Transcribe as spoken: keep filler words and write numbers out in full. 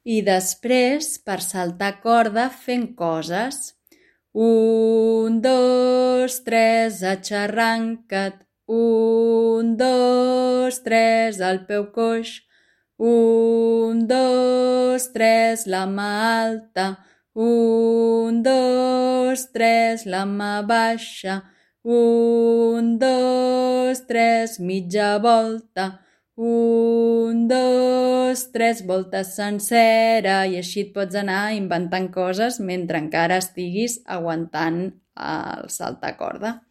I després, per saltar corda, fent coses. Un, dos, tres, aixarranca't. Un, dos, tres, al peu coix. Un, dos, tres, la mà alta. Un, dos, tres, la mà baixa. Un, dos, tres, mitja volta. Un, dos, tres, voltes sencera, i així et pots anar inventant coses mentre encara estiguis aguantant el saltacorda.